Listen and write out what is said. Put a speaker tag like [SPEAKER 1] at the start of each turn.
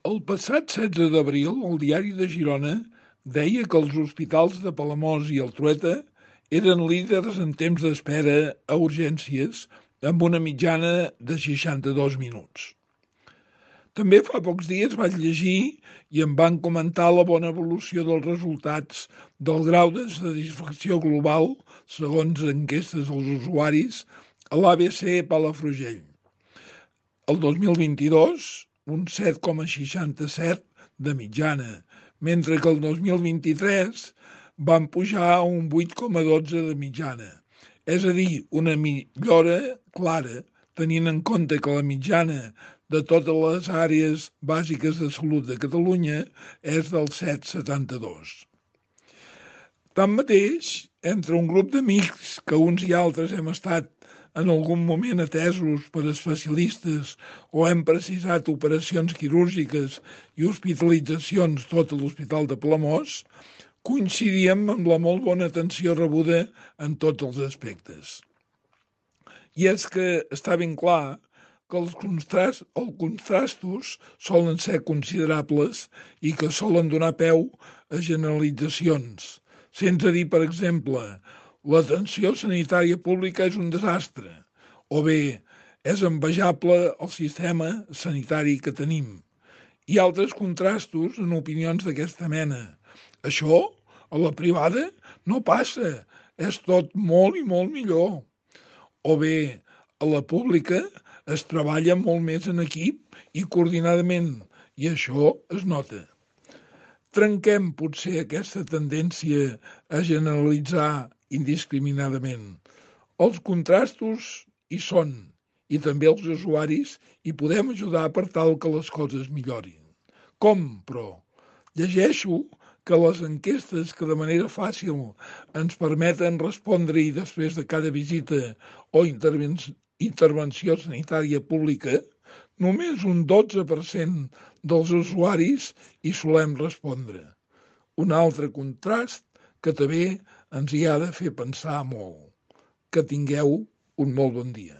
[SPEAKER 1] El passat 16 d'abril, el Diari de Girona deia que els hospitals de Palamós i el Trueta eren líders en temps d'espera a urgències, amb una mitjana de 62 minuts. També fa pocs dies vaig llegir i em van comentar la bona evolució dels resultats del grau de satisfacció global, segons enquestes als usuaris, a l'ABC Palafrugell. El 2022, un 7,67 de mitjana, mentre que el 2023 van pujar a un 8,12 de mitjana. És a dir, una millora clara, tenint en compte que la mitjana de totes les àrees bàsiques de salut de Catalunya és del 7,72. Tanmateix, entre un grup d'amics que uns i altres hem estat en algun moment atesos per especialistes o hem precisat operacions quirúrgiques i hospitalitzacions tot a l'Hospital de Palamós, coincidíem amb la molt bona atenció rebuda en tots els aspectes. I és que està ben clar que els contrastos solen ser considerables i que solen donar peu a generalitzacions, sense dir, per exemple, l'atenció sanitària pública és un desastre, o bé és envejable el sistema sanitari que tenim, i altres contrastos en opinions d'aquesta mena. Això, a la privada, no passa, és tot molt i molt millor. O bé, a la pública es treballa molt més en equip i coordinadament, i això es nota. Trenquem potser aquesta tendència a generalitzar indiscriminadament. Els contrastos hi són, i també els usuaris hi podem ajudar per tal que les coses millorin. Com, però? Llegeixo que les enquestes que de manera fàcil ens permeten respondre-hi després de cada visita o intervenció sanitària pública, només un 12% dels usuaris hi solem respondre. Un altre contrast que també ens hi ha de fer pensar molt. Que tingueu un molt bon dia.